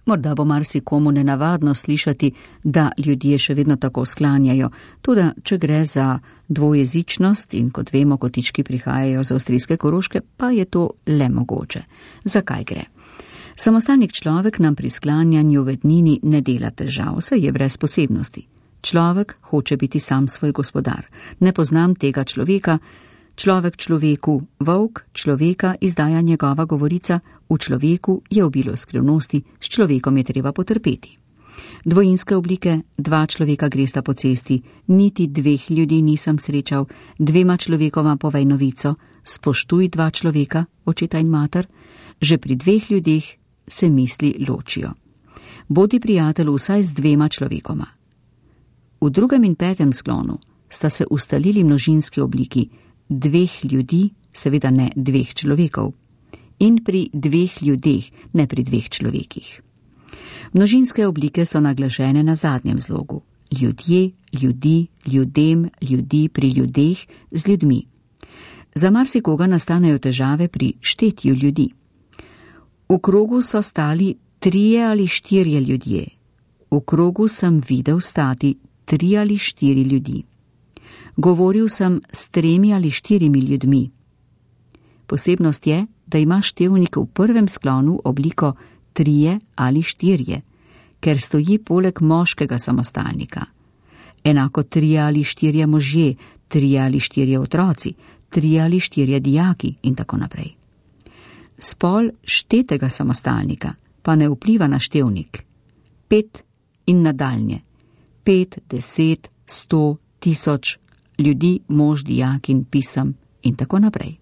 Morda bo marsikomu nenavadno slišati, da ljudje še vedno tako sklanjajo, tudi če gre za dvojezičnost in kot vemo, kotički prihajajo z avstrijske Koroške, pa je to le mogoče. Zakaj gre? Samostalnik človek nam pri sklanjanju v ednini ne dela težav, saj je brez posebnosti. Človek hoče biti sam svoj gospodar. Ne poznam tega človeka, človek človeku, volk človeka izdaja njegova govorica, v človeku je obilo skrivnosti, s človekom je treba potrpeti. Dvojinske oblike, dva človeka gresta po cesti, niti dveh ljudi nisem srečal, dvema človekoma povej novico, spoštuj dva človeka, očeta in mater, že pri dveh ljudeh se misli ločijo. Bodi prijatelj vsaj z dvema človekoma. V 2. in 5. sklonu sta se ustalili množinski obliki, dveh ljudi, seveda ne dveh človekov, in pri dveh ljudeh, ne pri dveh človekih. Množinske oblike so naglašene na zadnjem zlogu. Ljudje, ljudi, ljudem, ljudi pri ljudeh, z ljudmi. Za marsikoga nastanejo težave pri štetju ljudi. V krogu so stali 3 ali 4 ljudje. V krogu sem videl stati 3 ali 4 ljudi. Govoril sem s 3 ali 4 ljudmi. Posebnost je, da ima števnik v 1. sklonu obliko 3 ali 4, ker stoji poleg moškega samostalnika. Enako 3 ali 4 možje, 3 ali 4 otroci, 3 ali 4 dijaki in tako naprej. Spol štetega samostalnika pa ne vpliva na števnik. 5 in nadaljnje. 5, 10, 100, 1000 ljudi, mož, dijak in pisem in tako naprej.